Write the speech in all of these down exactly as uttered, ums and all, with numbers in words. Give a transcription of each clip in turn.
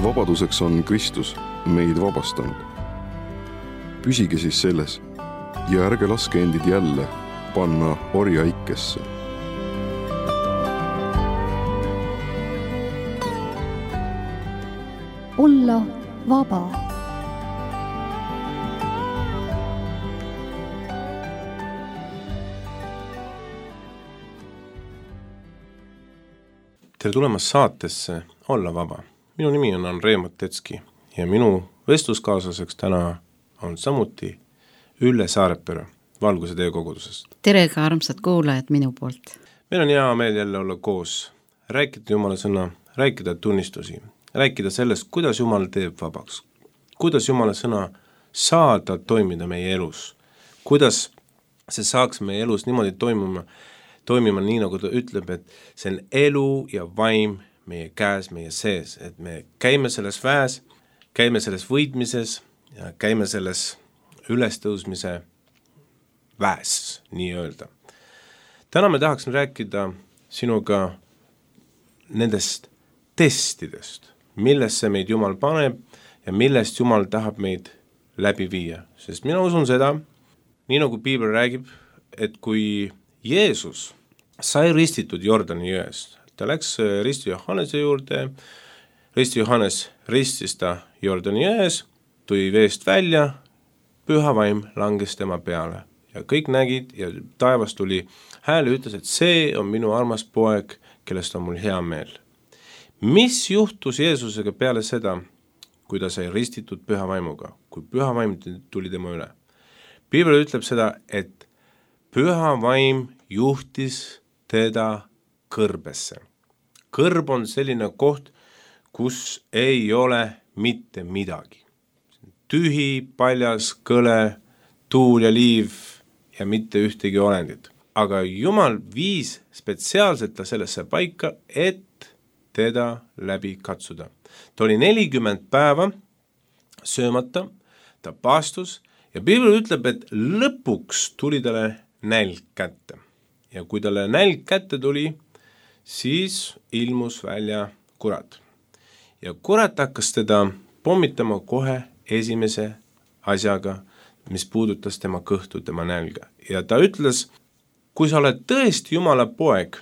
vabaduseks on Kristus meid vabastanud. Püsige siis selles ja ärge laske endid jälle panna orjaikesse. Olla vaba. Tere tulemast saatesse Olla vaba. Minu nimi on Andrei Matetski ja minu vestluskaaslaseks täna on samuti Ülle Saarepere Valguse tee kogudusest. Tere ka armsad kuulajad minu poolt. Meil on hea meel jälle olla koos, rääkida Jumala sõna, rääkida tunnistusi, rääkida sellest, kuidas Jumal teeb vabaks, kuidas Jumala sõna saada toimida meie elus, kuidas see saaks meie elus niimoodi toimuma, toimima nii, nagu ta ütleb, et see on elu ja vaim meie käes, meie sees, et me käime selles väes, käime selles võitmises ja käime selles ülestõusmise väes, nii öelda. Täna me tahaksin rääkida sinuga nendest testidest, millesse meid Jumal paneb ja millest Jumal tahab meid läbi viia. Sest mina usun seda, nii nagu Piibel räägib, et kui Jeesus sai ristitud Jordani jõest, ta läks risti Johannese juurde, risti Johannes ristis ta Jordani jões, tuli veest välja, püha vaim langes tema peale ja kõik nägid ja taevas tuli hääl ja ütles, et see on minu armas poeg, kellest on mul hea meel. Mis juhtus Jeesusega peale seda, kui ta sai ristitud püha vaimuga, kui püha vaim tuli tema üle? Piibel ütleb seda, et püha vaim juhtis teda kõrbesse. Kõrb on selline koht, kus ei ole mitte midagi. Tühi, paljas, kõle, tuul ja liiv ja mitte ühtegi olendit. Aga Jumal viis spetsiaalselt ta sellesse paika, et teda läbi katsuda. Ta oli nelikümmend päeva söömata, ta paastus ja Piibel ütleb, et lõpuks tuli talle nälg kätte. Ja kui talle nälg kätte tuli, siis ilmus välja kurat. Ja kurat hakkas teda pommitama kohe esimese asjaga, mis puudutas tema kõhtu, tema nälga. Ja ta ütles, kui sa oled tõesti Jumala poeg,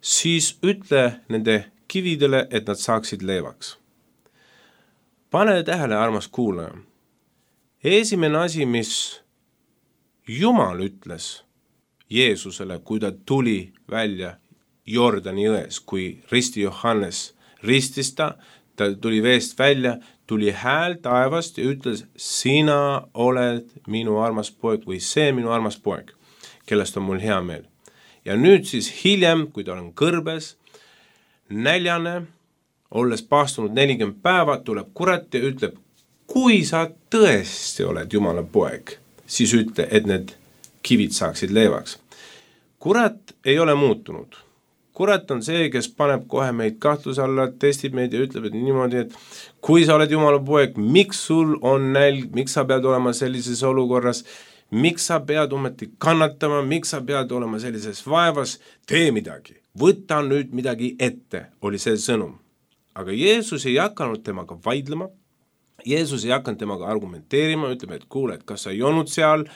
siis ütle nende kividele, et nad saaksid leevaks. Pane tähele, armas kuulaja. Esimene asi, mis Jumal ütles Jeesusele, kui ta tuli välja Jordani jões, kui risti Johannes ristis ta, ta tuli veest välja, tuli hääl taevast ja ütles, sina oled minu armas poeg või see minu armas poeg, kellest on mul hea meel. Ja nüüd siis hiljem, kui ta on kõrbes, näljane, olles paastunud nelikümmend päeva, tuleb kurat ja ütleb, kui sa tõesti oled Jumala poeg, siis ütle, et need kivid saaksid leevaks. Kurat ei ole muutunud. Kurat on see, kes paneb kohe meid kahtluse alla, testib meid ja ütleb, et niimoodi, et kui sa oled Jumala poeg, miks sul on nälg, miks sa pead olema sellises olukorras, miks sa pead ometi kannatama, miks sa pead olema sellises vaevas, tee midagi, võta nüüd midagi ette, oli see sõnum. Aga Jeesus ei hakanud temaga vaidlema, Jeesus ei hakanud temaga argumenteerima, ütleb, et kuule, et kas sa ei olnud seal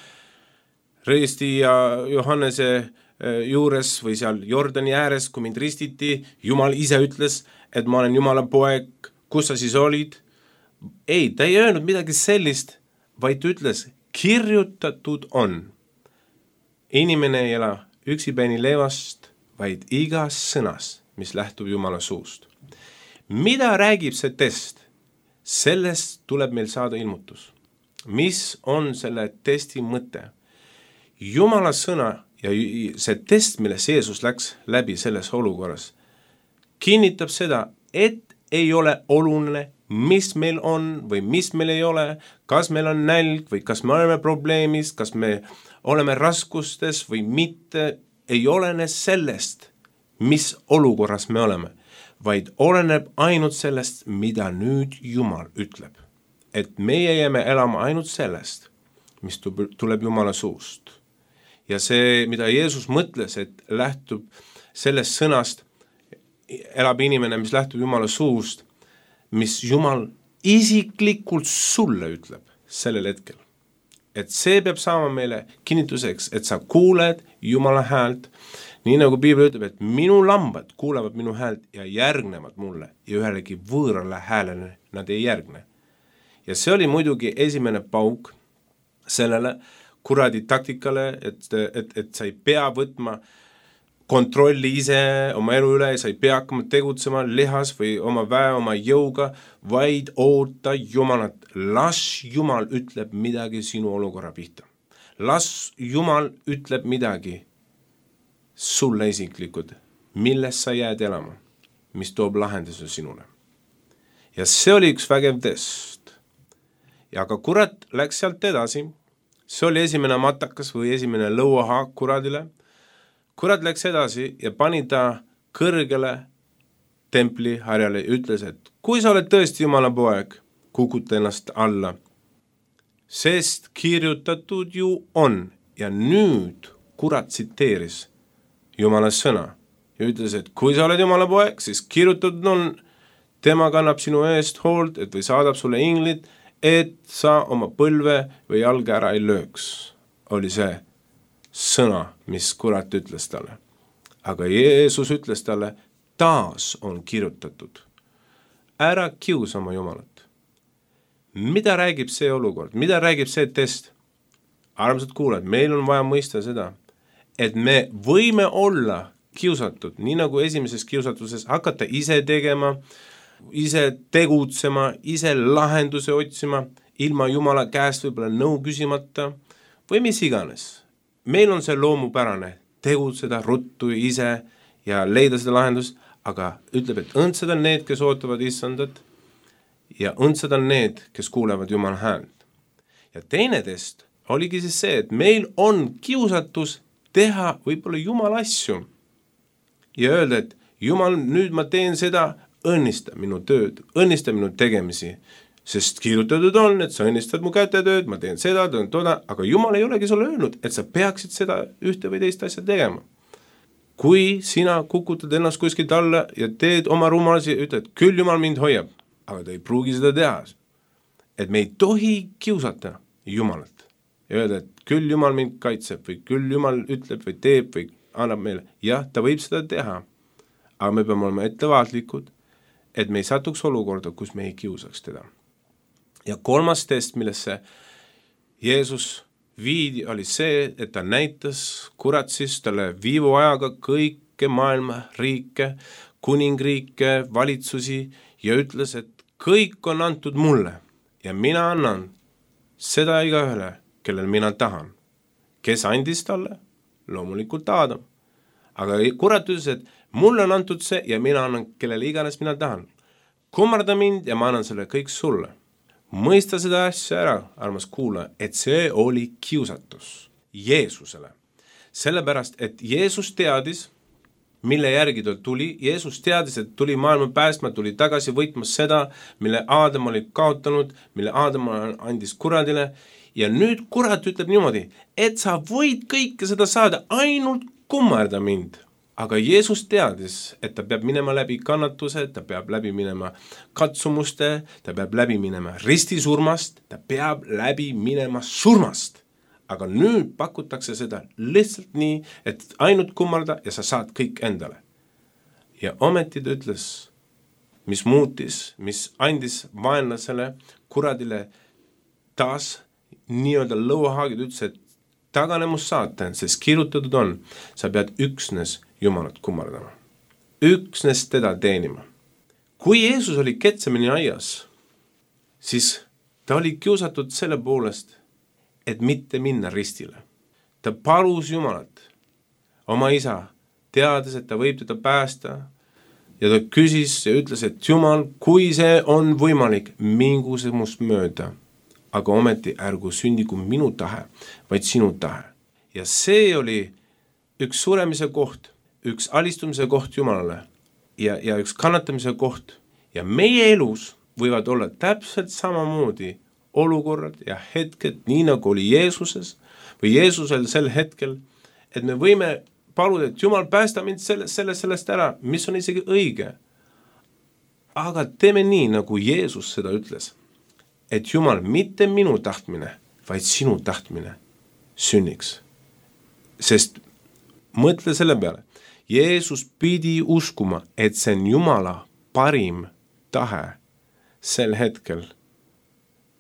risti ja Johannese juures või seal Jordani ääres, kui mind ristiti, Jumal ise ütles, et ma olen Jumala poeg, kus sa siis olid? Ei, ta ei öelnud midagi sellist, vaid ütles, kirjutatud on. Inimene ei ela üksipäini leevast, vaid igas sõnas, mis lähtub Jumala suust. Mida räägib see test? Sellest tuleb meil saada ilmutus. Mis on selle testi mõte? Jumala sõna ja see test, milles Jeesus läks läbi selles olukorras, kinnitab seda, et ei ole oluline, mis meil on või mis meil ei ole, kas meil on nälg või kas me oleme probleemis, kas me oleme raskustes või mitte, ei olene sellest, mis olukorras me oleme, vaid oleneb ainult sellest, mida nüüd Jumal ütleb. Et meie jääme elama ainult sellest, mis tuleb Jumala suust. Ja see, mida Jeesus mõtles, et lähtub sellest sõnast, elab inimene, mis lähtub Jumala suust, mis Jumal isiklikult sulle ütleb sellel hetkel. Et see peab saama meile kinnituseks, et sa kuuled Jumala häält, nii nagu Piibel ütleb, et minu lambad kuulevad minu häält ja järgnevad mulle ja ühelegi võõrale häälele nad ei järgne. Ja see oli muidugi esimene pauk sellele kuradi taktikale, et, et, et sa ei pea võtma kontrolli ise oma elu üle, sa ei pea hakkama tegutsema lihas või oma väe, oma jõuga, vaid oota Jumalat. Las Jumal ütleb midagi sinu olukorra pihta. Las Jumal ütleb midagi sulle isiklikud, milles sa jääd elama, mis toob lahenduse sinule. Ja see oli üks vägev test. Ja aga kurat läks sealt edasi. See oli esimene matakas või esimene lõuahaak kuradile. Kurat läks edasi ja pani ta kõrgele templi harjale ja ütles, et kui sa oled tõesti Jumala poeg, kukuta ennast alla, sest kirjutatud ju on. Ja nüüd kurat tsiteeris Jumala sõna ja ütles, et kui sa oled Jumala poeg, siis kirjutatud on, tema kannab sinu eest hoolt, et või saadab sulle inglid, et sa oma põlve või jalga ära ei lööks. Oli see sõna, mis kurat ütles talle. Aga Jeesus ütles talle, taas on kirjutatud. Ära kiusa oma Jumalat. Mida räägib see olukord? Mida räägib see test? Armsad kuulajad, meil on vaja mõista seda, et me võime olla kiusatud, nii nagu esimeses kiusatuses, hakata ise tegema, ise tegutsema, ise lahenduse otsima, ilma Jumala käest võib-olla nõu küsimata või mis iganes. Meil on see loomupärane tegutseda ruttu ise ja leida seda lahendust, aga ütleb, et õndsad on need, kes ootavad issandat ja õndsad on need, kes kuulevad Jumala häält. Ja teine test oligi siis see, et meil on kiusatus teha võib-olla Jumala asju ja öelda, et Jumal, nüüd ma teen seda, õnnista minu tööd, õnnista minu tegemisi, sest kirjutatud on, et sa õnnistad mu kätetööd, ma teen seda, teen toda, aga Jumal ei olegi sulle öelnud, et sa peaksid seda ühte või teist asja tegema. Kui sina kukutad ennast kuskilt alla ja teed oma rumalasi ja ütled, küll Jumal mind hoiab, aga ta ei pruugi seda teha. Et me ei tohi kiusata Jumalat ja öelda, et küll Jumal mind kaitseb või küll Jumal ütleb või teeb või annab meile. Jah, ta võib seda teha, aga me peame olema ettevaatlikud, et me ei satuks olukorda, kus me ei kiusaks teda. Ja kolmas test, millesse Jeesus viidi, oli see, et ta näitas kurat siis talle viivu ajaga kõike maailma riike, kuningriike, valitsusi ja ütles, et kõik on antud mulle ja mina annan seda igaühele, kellel mina tahan. Kes andis talle? Loomulikult Aadam. Aga kurat ütles, et mulle on antud see ja mina annan kellele iganes mina tahan. Kummarda mind ja ma annan selle kõik sulle. Mõista seda asja ära, armas kuulaja, et see oli kiusatus Jeesusele. Sellepärast, et Jeesus teadis, mille järgi ta tuli. Jeesus teadis, et tuli maailma päästma, tuli tagasi võitma seda, mille Aadam oli kaotanud, mille Aadam andis kuradile. Ja nüüd kurat ütleb niimoodi, et sa võid kõike seda saada, ainult kummarda mind. Aga Jeesus teadis, et ta peab minema läbi kannatuse, ta peab läbi minema katsumuste, ta peab läbi minema ristisurmast, ta peab läbi minema surmast. Aga nüüd pakutakse seda lihtsalt nii, et ainult kummarda ja sa saad kõik endale. Ja ometi ta ütles, mis muutis, mis andis vaenlasele, kuradile taas nii-öelda lõuahaagid, ütles, et taganemus saatan, sest kirjutatud on, sa pead üksnes Jumalat kummardama. Üksnes teda teenima. Kui Jeesus oli Getsemani aias, siis ta oli kiusatud selle poolest, et mitte minna ristile. Ta palus Jumalat, oma isa, teades, et ta võib teda päästa, ja ta küsis ja ütles, et Jumal, kui see on võimalik, mingu see must mööda, aga ometi ärgu sündigu minu tahe, vaid sinu tahe. Ja see oli üks suremise koht, üks alistumise koht Jumalale ja, ja üks kannatamise koht. Ja meie elus võivad olla täpselt samamoodi olukorrad ja hetked, nii nagu oli Jeesuses või Jeesusel sel hetkel, et me võime paluda, et Jumal päästa mind sellest, sellest, sellest ära, mis on isegi õige. aga teeme nii, nagu Jeesus seda ütles, et Jumal, mitte minu tahtmine, vaid sinu tahtmine sünniks. Sest mõtle selle peale, Jeesus pidi uskuma, et see on Jumala parim tahe sel hetkel,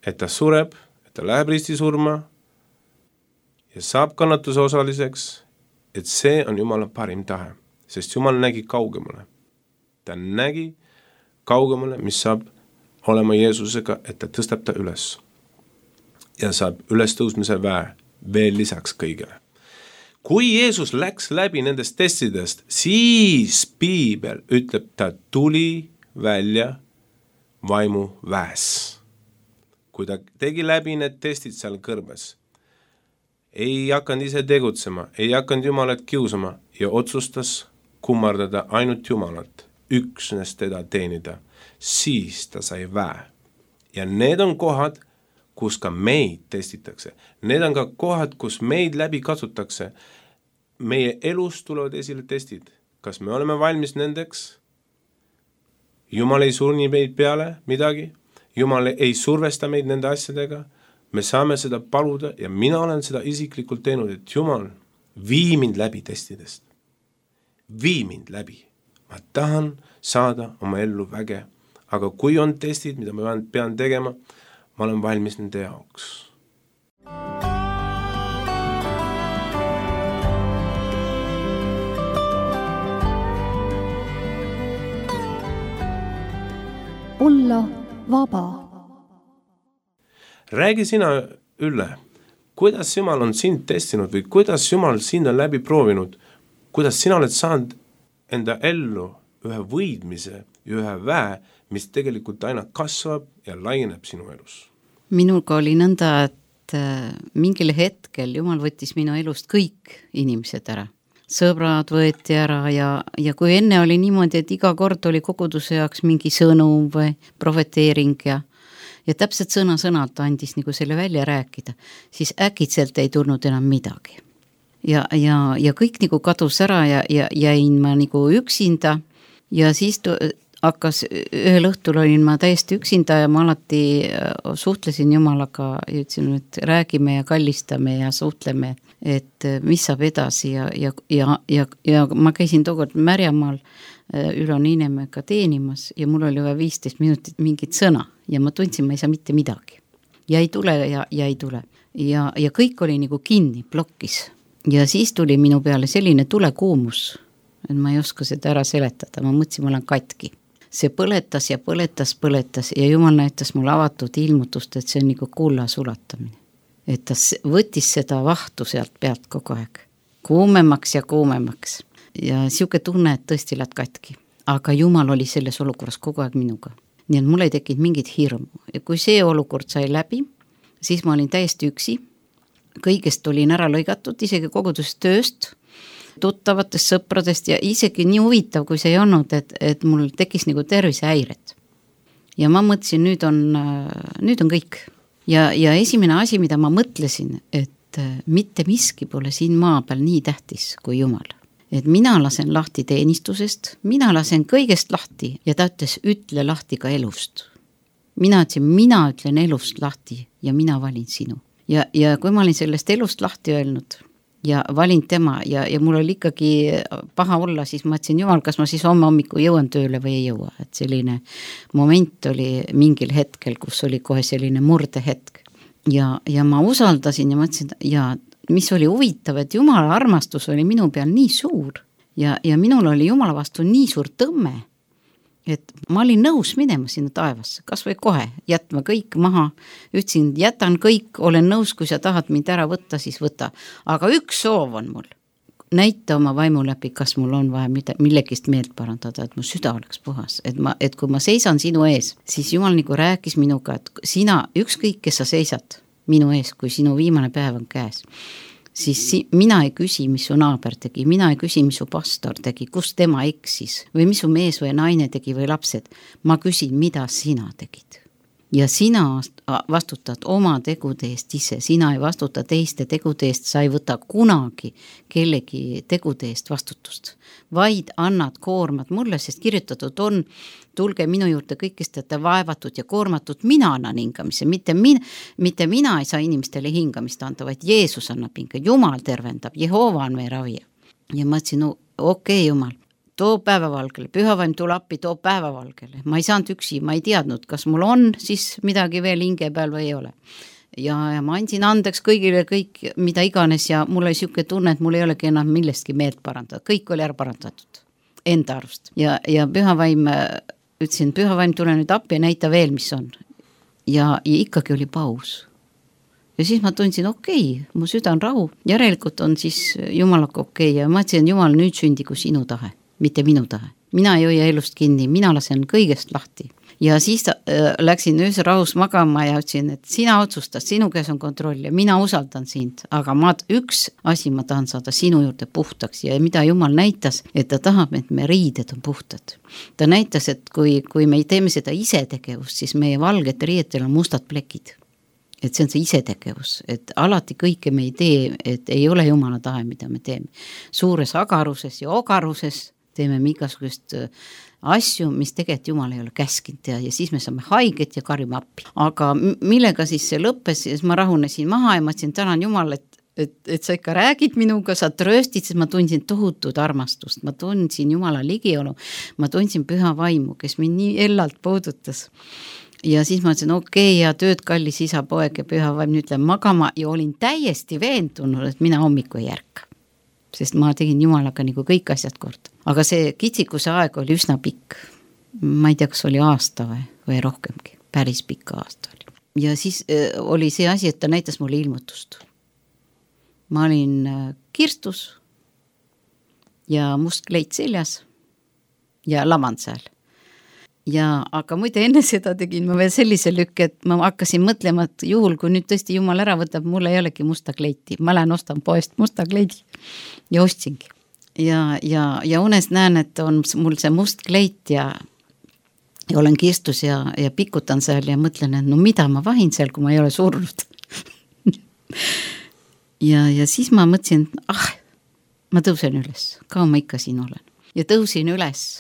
et ta sureb, et ta läheb risti surma ja saab kannatuse osaliseks, et see on Jumala parim tahe, sest Jumal nägi kaugemale. Ta nägi kaugemale, mis saab olema Jeesusega, et ta tõstab ta üles ja saab üles tõusmise väe veel lisaks kõigele. Kui Jeesus läks läbi nendest testidest, siis Piibel ütleb, ta tuli välja vaimu väes. Kui ta tegi läbi need testid seal kõrbes, ei hakanud ise tegutsema, ei hakanud Jumalat kiusama ja otsustas kummardada ainult Jumalat, üksnes teda teenida, siis ta sai väe. Ja need on kohad, kus ka meid testitakse. Need on ka kohad, kus meid läbi katsutakse. Meie elus tulevad esile testid. Kas me oleme valmis nendeks? Jumal ei surni meid peale midagi. Jumal ei survesta meid nende asjadega. Me saame seda paluda ja mina olen seda isiklikult teinud, et Jumal, vii mind läbi testidest. Vii mind läbi. Ma tahan saada oma ellu väge. Aga kui on testid, mida ma pean tegema, ma olen valmis nende jaoks. Olla vaba. Räägi sina, Ülle, kuidas Jumal on sind testinud või kuidas Jumal sind on läbi proovinud, kuidas sina oled saanud enda ellu ühe võidmise ja ühe väe, mis tegelikult aina kasvab ja laieneb sinu elus? Minuga oli nõnda, et mingil hetkel Jumal võttis minu elust kõik inimesed ära. Sõbrad võeti ära ja, ja kui enne oli niimoodi, et iga kord oli koguduse jaoks mingi sõnum või profeteering ja, ja täpselt sõna-sõnalt andis nagu selle välja rääkida, siis äkitselt ei tulnud enam midagi. Ja, ja, ja kõik nagu kadus ära ja, ja jäin ma nagu üksinda ja siis tu, hakkas, ühel õhtul olin ma täiesti üksinda ja ma alati suhtlesin Jumalaga ja ütlesin, et räägime ja kallistame ja suhtleme, et mis saab edasi ja, ja, ja, ja, ja ma käisin tookord Märjamaal Ülo Niinemega teenimas ja mul oli vaja viisteist minutit mingit sõna ja ma tundsin, ma ei saa mitte midagi. Ja ei tule ja, ja ei tule. Ja, ja kõik oli nagu kinni, blokkis. Ja siis tuli minu peale selline tulekuumus, et ma ei oska seda ära seletada, ma mõtlesin, ma olen katki. See põletas ja põletas, põletas ja Jumal näitas mulle avatud ilmutust, et see on nagu kulla sulatamine. Et ta võttis seda vahtu sealt pealt kogu aeg. Kuumemaks ja kuumemaks. Ja siuke tunne, et tõesti lähed katki. Aga Jumal oli selles olukorras kogu aeg minuga. Nii et mul ei tekkinud mingit hirmu. Ja kui see olukord sai läbi, siis ma olin täiesti üksi. Kõigest olin ära lõigatud, isegi kogudusest tööst, tuttavatest sõpradest ja isegi nii huvitav, kui see ei olnud, et, et mul tekkis nagu tervisehäired. Ja ma mõtlesin, nüüd on, nüüd on kõik. Ja, ja esimene asi, mida ma mõtlesin, et mitte miski pole siin maa peal nii tähtis kui Jumal. Et mina lasen lahti teenistusest, mina lasen kõigest lahti ja ta ütles, ütle lahti ka elust. Mina ütlesin, mina ütlen elust lahti ja mina valin sinu. Ja, ja kui ma olin sellest elust lahti öelnud ja valin tema ja, ja mul oli ikkagi paha olla, siis ma ütlesin, Jumal, kas ma siis homme hommiku jõuan tööle või ei jõua. Et selline moment oli mingil hetkel, kus oli kohe selline murdehetk. Ja, ja ma usaldasin ja mõtlesin, ja mis oli huvitav, et Jumala armastus oli minu peal nii suur ja, ja minul oli Jumala vastu nii suur tõmme, et ma olin nõus minema sinna taevasse, kas või kohe jätma kõik maha, ütlesin, jätan kõik, olen nõus, kui sa tahad mind ära võtta, siis võta. Aga üks soov on mul, näita oma vaimu läbi, kas mul on vaja millegist meelt parandada, et mu süda oleks puhas, et, ma, et kui ma seisan sinu ees, siis Jumal nagu rääkis minuga, et sina, ükskõik, kes sa seisad minu ees, kui sinu viimane päev on käes, siis mina ei küsi, mis su naaber tegi, mina ei küsi, mis su pastor tegi, kus tema eksis või mis su mees või naine tegi või lapsed. Ma küsin, mida sina tegid. ja sina vastutad oma tegude eest ise, sina ei vastuta teiste tegude eest, sa ei võta kunagi kellegi tegude eest vastutust, vaid annad koormat mulle, sest kirjutatud on, tulge minu juurde kõik, kes te olete vaevatud ja koormatud, mina annan hingamise, mitte, min, mitte mina ei saa inimestele hingamist anda, vaid Jeesus annab hinga, Jumal tervendab, Jehova on meie ravija. Ja ma ütlesin, no okei okay, Jumal, too päevavalgele, pühavaim tule appi, too päevavalgele. Ma ei saanud üksi, ma ei teadnud, kas mul on siis midagi veel hinge peal või ei ole. Ja, ja ma andsin andeks kõigile kõik, mida iganes ja mul oli siuke tunne, et mul ei olegi enam millestki meelt parandada. Kõik oli ära parandatud enda arust. Ja, ja pühavaim, ütlesin, pühavaim tule nüüd appi ja näita veel, mis on. Ja, ja ikkagi oli paus. Ja siis ma tundsin, okei, okay, mu süda on rahu. Järelikult on siis Jumalaga okei okay. Ja ma ütlesin, Jumal, nüüd sündigu sinu tahe. Mitte minu tahe. Mina ei hoia elust kinni, mina lasen kõigest lahti. Ja siis äh, läksin öösel rahus magama ja ütlesin, et sina otsustad, sinu käes on kontroll ja mina usaldan sind, aga ma, üks asi ma tahan saada sinu juurde puhtaks ja mida Jumal näitas, et ta tahab, et me riided on puhtad. Ta näitas, et kui, kui me teeme seda isetegevust, siis meie valged riietel on mustad plekid. Et see on see isetegevus, et alati kõike me ei tee, et ei ole Jumala tahe, mida me teeme. Suures agaruses ja ogaruses teeme me igasugust asju, mis tegelikult Jumal ei ole käskinud ja, ja siis me saame haiget ja karjume appi. Aga millega siis see lõppes, siis ma rahunesin maha ja ma ütlesin, tänan Jumal, et, et, et sa ikka räägid minuga, sa trööstid, siis ma tundsin tohutut armastust, ma tundsin Jumala ligiolu, ma tundsin püha vaimu, kes mind nii ellalt puudutas. Ja siis ma ütlesin, okei, okay, ja tööd kallis isa, poeg ja püha vaim, nüüd lähen magama ja olin täiesti veendunud, et mina hommiku ei järka. Sest ma tegin Jumalaga nagu kõik asjad kord. Aga see kitsikuse aeg oli üsna pikk. Ma ei tea, kas oli aasta või, või rohkemgi. Päris pikka aasta oli. Ja siis äh, oli see asi, et ta näitas mulle ilmutust. Ma olin äh, kirstus ja must kleit seljas ja lamand seal. Ja, aga muide enne seda tegin ma veel sellise lükke, et ma hakkasin mõtlema, et juhul, kui nüüd tõesti Jumal ära võtab, mul ei olegi musta kleiti. Ma lähen ostan poest musta kleidi ja ostsingi. Ja, ja, ja unes näen, et on mul see must kleit ja, ja olen kirstus ja, ja pikutan seal ja mõtlen, et no mida ma vahin seal, kui ma ei ole surnud. ja, ja siis ma mõtlesin, ah, ma tõusen üles, ka ma ikka siin olen. Ja tõusin üles.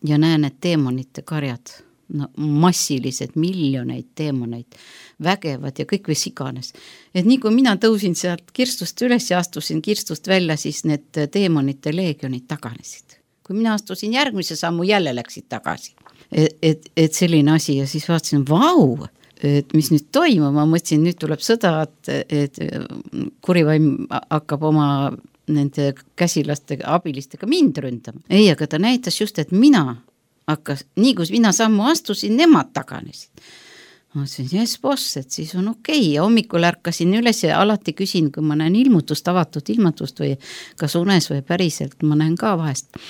Ja näen, et teemonite karjad, no massilised, miljoneid teemoneid, vägevad ja kõik võis iganes. Et nii kui mina tõusin sealt kirstust üles ja astusin kirstust välja, siis need teemonite leegionid taganesid. Kui mina astusin järgmise sammu, jälle läksid tagasi. Et, et, et selline asi ja siis vaatasin, vau, et mis nüüd toimub, ma mõtlesin, nüüd tuleb sõda, et, et kurivaim hakkab oma nende käsilastega, abilistega mind ründama. Ei, aga ta näitas just, et mina hakkas, nii kui mina sammu astusin, nemad taganesid. Ma ütlesin, jes boss, et siis on okei. Okay. Ja hommikul ärkasin üles ja alati küsin, kui ma näen ilmutust, avatud ilmutust või kas unes või päriselt, ma näen ka vahest.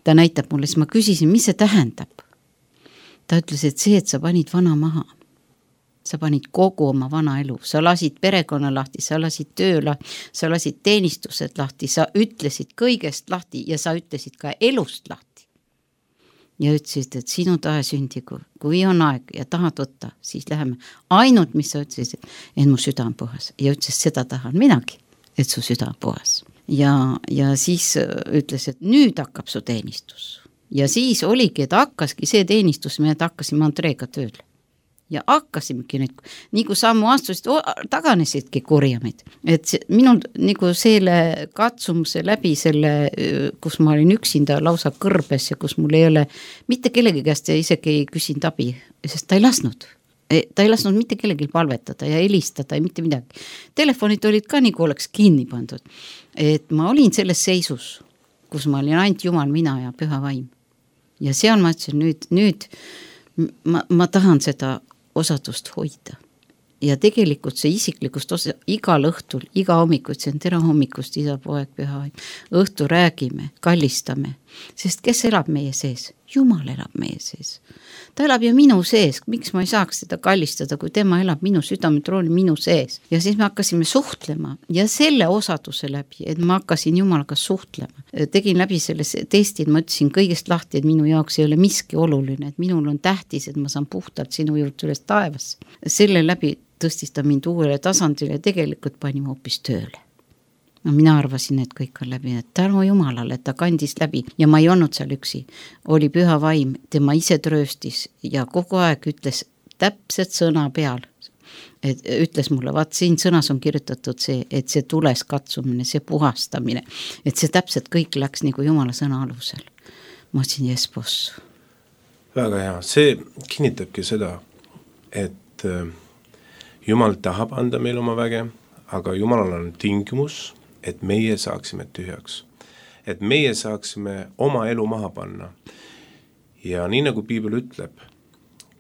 Ta näitab mulle, siis ma küsisin, mis see tähendab. Ta ütles, et see, et sa panid vana maha. Sa panid kogu oma vana elu, sa lasid perekonna lahti, sa lasid töö lahti, sa lasid teenistused lahti, sa ütlesid kõigest lahti ja sa ütlesid ka elust lahti. Ja ütlesid, et sinu tahe sündigu, kui on aeg ja tahad võtta, siis läheme. Ainult, mis sa ütlesid, et mu süda on puhas. Ja ütles, seda tahan minagi, et su süda on puhas. Ja, ja siis ütles, et nüüd hakkab su teenistus. Ja siis oligi, et hakkaski see teenistus, me hakkasime Andreega tööle. Ja hakkasimegi nüüd, nii kui sammu astusid, taganesidki kurjamid. Et see, minul nagu selle katsumuse läbi selle, kus ma olin üksinda lausa kõrbes ja kus mul ei ole mitte kellegi käest ja isegi ei küsinud abi, sest ta ei lasnud. Ta ei lasnud mitte kellegi palvetada ja helistada ja mitte midagi. Telefonid olid ka nagu oleks kinni pandud. Et ma olin selles seisus, kus ma olin ainult Jumal, mina ja püha vaim. Ja seal ma ütlesin, nüüd, nüüd ma, ma tahan seda osadust hoida. Ja tegelikult see isiklikust osa, igal õhtul, iga hommikut, see on tere hommikust, isa, poeg, püha vaim. Õhtu räägime, kallistame, sest kes elab meie sees? Jumal elab meie sees. Ta elab ju minu sees, miks ma ei saaks teda kallistada, kui tema elab minu südametrooli minu sees. Ja siis me hakkasime suhtlema ja selle osaduse läbi, et ma hakkasin Jumalaga suhtlema. Tegin läbi selle testi, et ma ütlesin kõigest lahti, et minu jaoks ei ole miski oluline, et minul on tähtis, et ma saan puhtalt sinu juurde üles taevas. Selle läbi tõstis ta mind uuele tasandile ja tegelikult panime hoopis tööle. No mina arvasin, et kõik on läbi, et tänu Jumalale, et ta kandis läbi ja ma ei olnud seal üksi. Oli püha vaim, tema ise trööstis ja kogu aeg ütles täpselt sõna peal. Et ütles mulle, vaat siin sõnas on kirjutatud see, et see tules katsumine, see puhastamine, et see täpselt kõik läks nagu Jumala sõna alusel. Ma ütlesin, jes, boss. Väga hea, see kinnitabki seda, et Jumal tahab anda meil oma väge, aga Jumalal on tingimus, et meie saaksime tühjaks. Et meie saaksime oma elu maha panna. Ja nii nagu Piibel ütleb,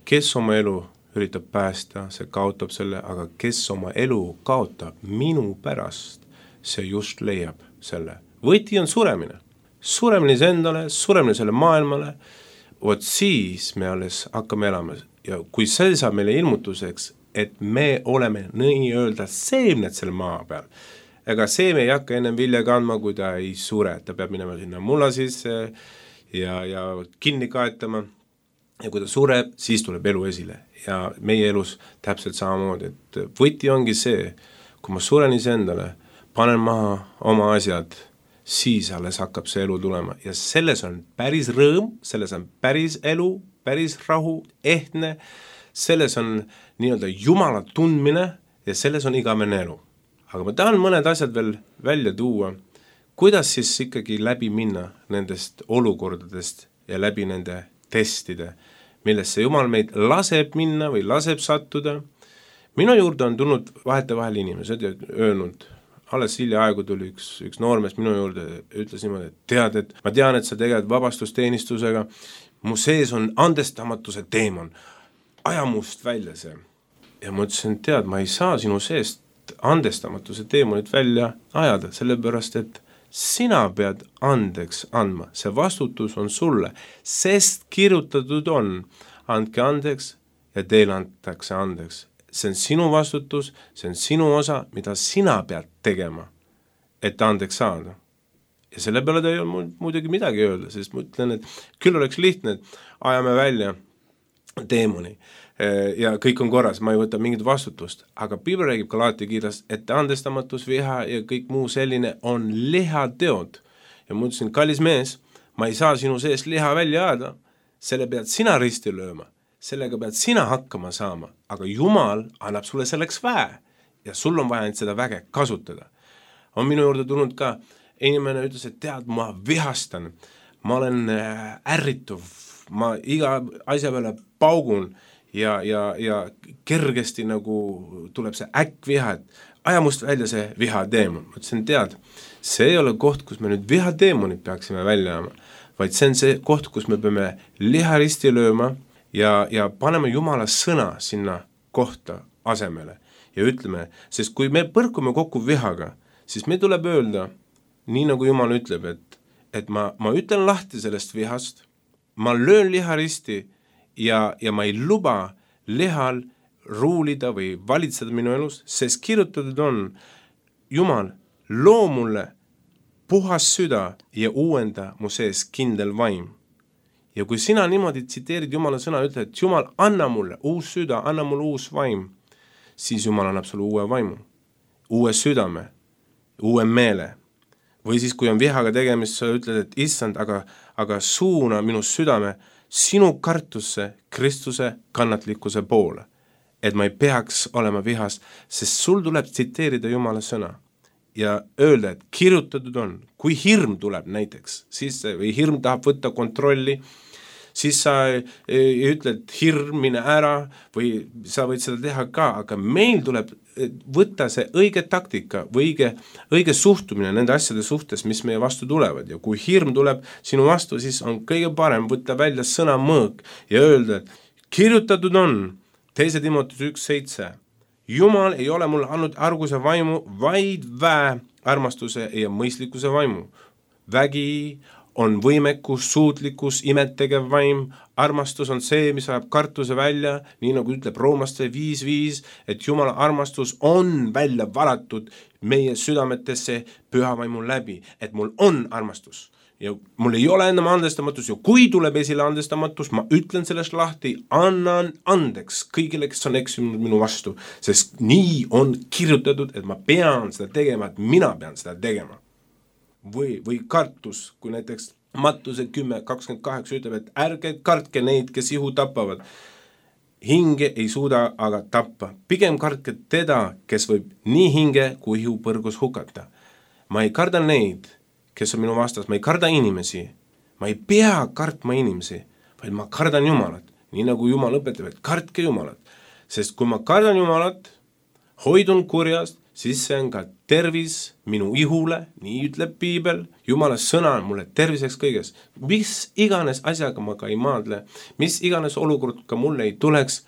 kes oma elu üritab päästa, see kaotab selle, aga kes oma elu kaotab minu pärast, see just leiab selle. Võti on suremine. Suremine endale, suremine selle maailmale, vot siis me alles hakkame elama. Ja kui see saab meile ilmutuseks, et me oleme nii öelda seemned selle maa peal, ega seeme ei hakka ennem vilja kandma, kui ta ei sure, ta peab minema sinna mulla sisse ja, ja kinni kaetama ja kui ta sureb, siis tuleb elu esile ja meie elus täpselt samamoodi, et võti ongi see, kui ma suren iseendale, panen maha oma asjad, siis alles hakkab see elu tulema ja selles on päris rõõm, selles on päris elu, päris rahu, ehtne, selles on nii-öelda Jumala tundmine ja selles on igavene elu. Aga ma tahan mõned asjad veel välja tuua, kuidas siis ikkagi läbi minna nendest olukordadest ja läbi nende testide, millesse Jumal meid laseb minna või laseb sattuda. Minu juurde on tulnud vahetevahel inimesed ja öelnud, alles hilja aegu tuli üks, üks noormees minu juurde, ütles niimoodi, et tead, et ma tean, et sa tegeled vabastusteenistusega, mu sees on andestamatuse teemon, aja must välja see. Ja ma ütlesin, tead, ma ei saa sinu seest andestamatuse teemonit välja ajada, sellepärast, et sina pead andeks andma, see vastutus on sulle, sest kirjutatud on, andke andeks ja teile antakse andeks. See on sinu vastutus, see on sinu osa, mida sina pead tegema, et andeks saada. Ja selle peale ta ei ole muidugi midagi öelda, sest ma ütlen, et küll oleks lihtne, et ajame välja teemoni ja kõik on korras, ma ei võta mingit vastutust, aga Piibel räägib Galaati kirjas, et andestamatus, viha ja kõik muu selline on lihateod. Ja ma ütlesin, kallis mees, ma ei saa sinu sees liha välja ajada, selle pead sina risti lööma, sellega pead sina hakkama saama, aga Jumal annab sulle selleks väe ja sul on vaja seda väge kasutada. On minu juurde tulnud ka, inimene ütles, et tead, ma vihastan, ma olen ärrituv, ma iga asja peale paugun, ja, ja, ja kergesti nagu tuleb see äkkviha, et aja must välja see vihateemon. Ma ütlesin, tead, see ei ole koht, kus me nüüd vihateemonid peaksime välja ajama, vaid see on see koht, kus me peame liha risti lööma ja, ja paneme Jumala sõna sinna kohta asemele ja ütleme, sest kui me põrkume kokku vihaga, siis me tuleb öelda, nii nagu Jumal ütleb, et, et ma, ma ütlen lahti sellest vihast, ma löön liha risti ja, ja ma ei luba lihal ruulida või valitseda minu elus, sest kirjutatud on, Jumal, loo mulle puhas süda ja uuenda mu sees kindel vaim. Ja kui sina niimoodi tsiteerid Jumala sõna, ütled, et Jumal, anna mulle uus süda, anna mulle uus vaim, siis Jumal annab sulle uue vaimu, uue südame, uue meele. Või siis, kui on vihaga tegemist, sa ütled, et issand, aga, aga suuna minu südame sinu kartusse Kristuse kannatlikkuse poole, et ma ei peaks olema vihas, sest sul tuleb tsiteerida Jumala sõna ja öelda, et kirjutatud on, kui hirm tuleb näiteks, siis või hirm tahab võtta kontrolli, siis sa ei ütle, et hirm mine ära või sa võid seda teha ka, aga meil tuleb võtta see õige taktika või õige, õige suhtumine nende asjade suhtes, mis meie vastu tulevad ja kui hirm tuleb sinu vastu, siis on kõige parem võtta välja sõna mõõk ja öelda, et kirjutatud on teise Timoteuse üks seitse. Jumal ei ole mulle andnud arguse vaimu, vaid väe, armastuse ja mõistlikkuse vaimu. Vägi on võimekus, suutlikkus, imetegev vaim, armastus on see, mis ajab kartuse välja, nii nagu ütleb Roomaste viis viis, et Jumala armastus on välja valatud meie südametesse püha vaimu läbi, et mul on armastus. Ja mul ei ole enam andestamatus ja kui tuleb esile andestamatus, ma ütlen sellest lahti, annan andeks kõigile, kes on eksinud minu vastu, sest nii on kirjutatud, et ma pean seda tegema, et mina pean seda tegema. Või, või kartus, kui näiteks Mattuse kümme kakskümmend kaheksa ütleb, et ärge kartke neid, kes ihu tapavad. Hinge ei suuda aga tappa. Pigem kartke teda, kes võib nii hinge kui ihu põrgus hukata. Ma ei karda neid, kes on minu vastas, ma ei karda inimesi. Ma ei pea kartma inimesi, vaid ma kardan Jumalat. Nii nagu Jumal õpetab, et kartke Jumalat. Sest kui ma kardan Jumalat, hoidun kurjast, siis see on ka tervis minu ihule, nii ütleb Piibel, Jumala sõna on mulle terviseks kõiges. Mis iganes asjaga ma ka ei maadle, mis iganes olukord ka mulle ei tuleks,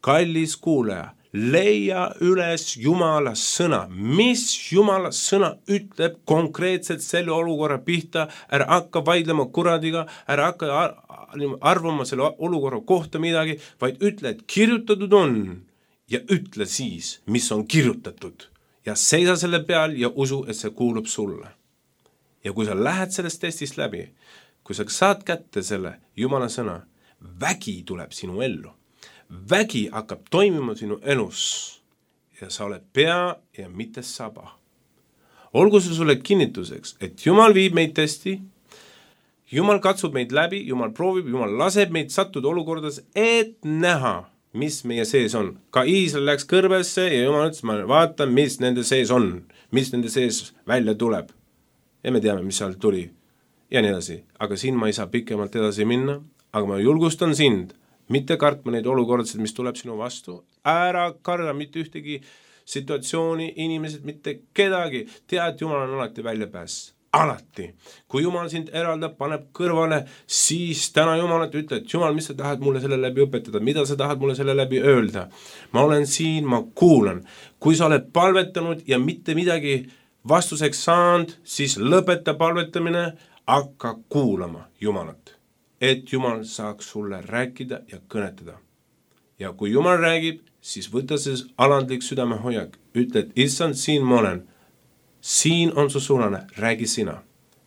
kallis kuulaja, leia üles Jumala sõna, mis Jumala sõna ütleb konkreetselt selle olukorra pihta, ära hakka vaidlema kuradiga, ära hakka arvama selle olukorra kohta midagi, vaid ütle, et kirjutatud on ja ütle siis, mis on kirjutatud. Ja seisa selle peal ja usu, et see kuulub sulle. Ja kui sa lähed sellest testist läbi, kui sa saad kätte selle Jumala sõna, vägi tuleb sinu ellu. Vägi hakkab toimima sinu elus ja sa oled pea ja mitte saba. Olgu see sulle kinnituseks, et Jumal viib meid testi, Jumal katsub meid läbi, Jumal proovib, Jumal laseb meid sattuda olukordades, et näha, mis meie sees on. Ka Iisrael läks kõrbesse ja Jumal ütles, ma vaatan, mis nende sees on, mis nende sees välja tuleb. Ja me teame, mis seal tuli ja nii edasi. Aga siin ma ei saa pikemalt edasi minna, aga ma julgustan sind, mitte kartma neid olukordasid, mis tuleb sinu vastu. Ära karda mitte ühtegi situatsiooni, inimesed, mitte kedagi. Tea, et Jumal on alati välja pääs. Alati. Kui Jumal sind eraldab, paneb kõrvale, siis täna Jumalat ütle, et Jumal, mis sa tahad mulle selle läbi õpetada, mida sa tahad mulle selle läbi öelda. Ma olen siin, ma kuulan. Kui sa oled palvetanud ja mitte midagi vastuseks saanud, siis lõpeta palvetamine, hakka kuulama Jumalat, et Jumal saaks sulle rääkida ja kõnetada. Ja kui Jumal räägib, siis võta see alandlik südamehoiak, ütle, et issand, siin ma olen. Siin on su suunane, räägi sina.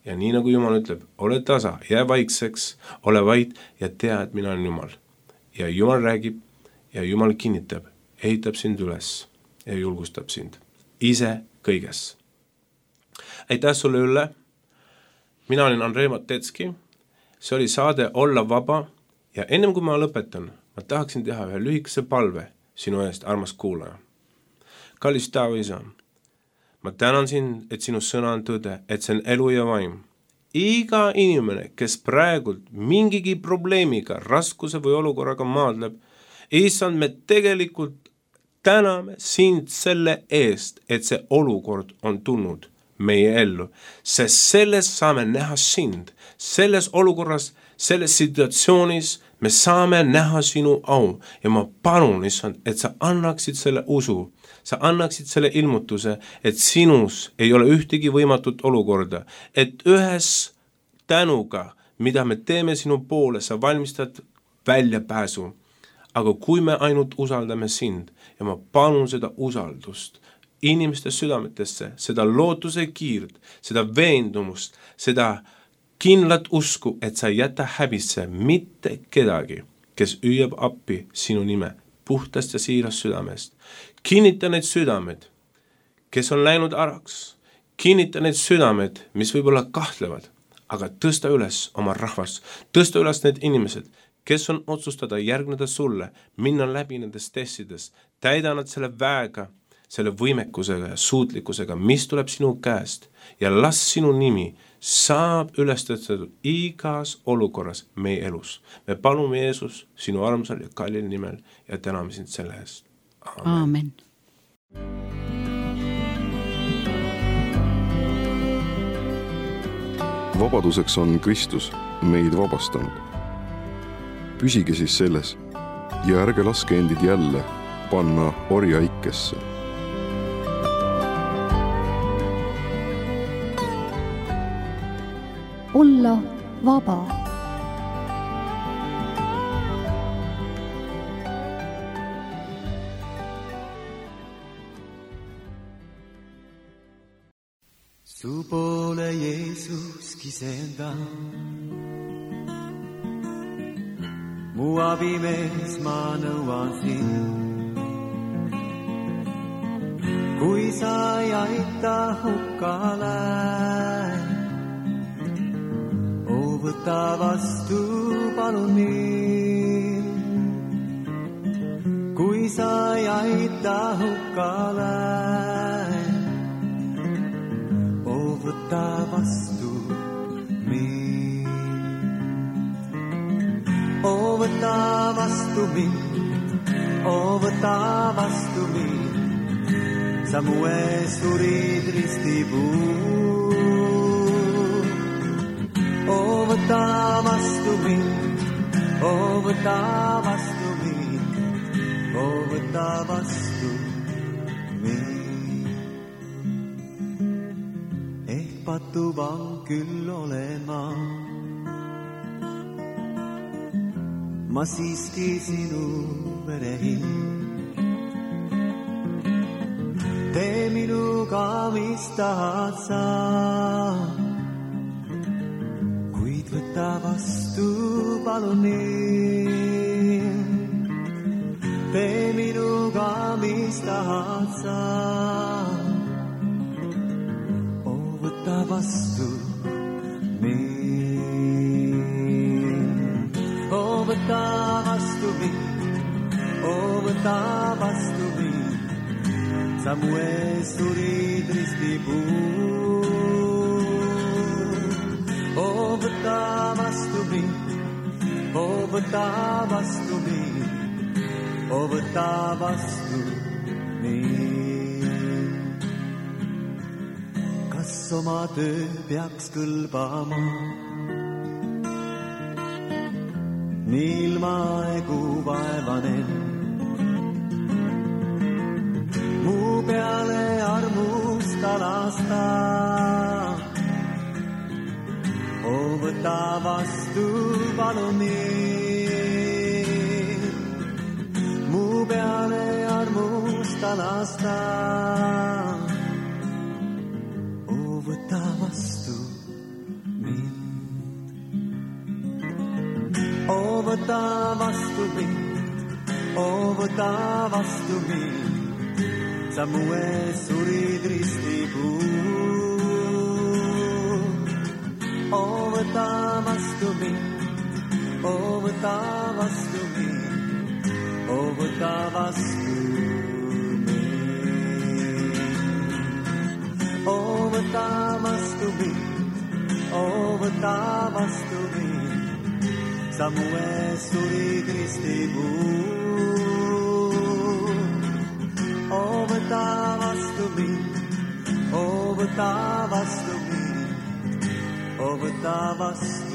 Ja nii nagu Jumal ütleb, ole tasa, jää vaikseks, ole vait ja tea, et mina olen Jumal. Ja Jumal räägib ja Jumal kinnitab, ehitab sind üles ja julgustab sind. Ise kõiges. Aitäh sulle, Ülle. Mina olin Andrei Matetski. See oli saade Olla vaba ja ennem kui ma lõpetan, ma tahaksin teha ühe lühikese palve sinu eest, armas kuulaja. Kallis Taeva isa, ma tänan sind, et sinu sõna on tõde, et see on elu ja vaim. Iga inimene, kes praegult mingigi probleemiga, raskuse või olukorraga maadleb, issand, me tegelikult täname sind selle eest, et see olukord on tulnud meie ellu, sest selles saame näha sind. Selles olukorras, selles situatsioonis me saame näha sinu au ja ma palun, issand, et sa annaksid selle usu, sa annaksid selle ilmutuse, et sinus ei ole ühtegi võimatut olukorda, et ühes tänuga, mida me teeme sinu poole, sa valmistad väljapääsu. Aga kui me ainult usaldame sind ja ma palun seda usaldust inimeste südametesse, seda lootuse kiirt, seda veendumust, seda kindlat usku, et sa ei jäta häbisse mitte kedagi, kes hüüab appi sinu nime puhtast ja siirast südamest. Kinnita need südamed, kes on läinud araks. Kinnita need südamed, mis võib-olla kahtlevad, aga tõsta üles oma rahvas. Tõsta üles need inimesed, kes on otsustada järgneda sulle, minna läbi nendest testides. Täida nad selle väega, selle võimekusega ja suutlikkusega, mis tuleb sinu käest ja las sinu nimi saab üles tõstetud igas olukorras meie elus. Me palume Jeesus sinu armsal ja kallil nimel ja täname sind selle eest. Aamen. Vabaduseks on Kristus meid vabastanud. Püsige siis selles ja ärge laske endid jälle panna orja ikkesse. olla vaba. Su poole Jeesus kisenda, mu abimees ma nõuan sind. Kui sa ei aita hukkale, oo võta vastu palun mind. Kui sa ei aita hukkale, võta vastu mind. Oo võta vastu mind, oo võta vastu mind. Sa mu ees surid ristipuu. Oo võta vastu mind, oo võta vastu mind, oo võta vastu mind. Patuvang küll olen ma, ma siiski sinu verehind. Tee minuga, mis tahad sa, kuid võta vastu palun mind. Tee minuga, mis tahad sa, võta vastu mind. Oo võta vastu mind, oo võta vastu mind. Sa mu ees surid ristipuu. Oo võta vastu mind, oo võta vastu mind, oo võta vastu mind. Kas oma töö peaks kõlbama nii ilma egu vaevanen? Mu peale armusta lasta, oo võta vastu palun mind. Mu peale armusta lasta, võta vastu mind. Oo võta vastu mind, oo võta vastu mind. Sa mu ees surid ristipuu. Oo võta vastu mind, oo võta vastu mind, oo võta vastu oo võta vastu mind, oo võta vastu mind. Sa mu ees surid ristipuu. Oo võta vastu mind, oo võta vastu mind, oo võta vastu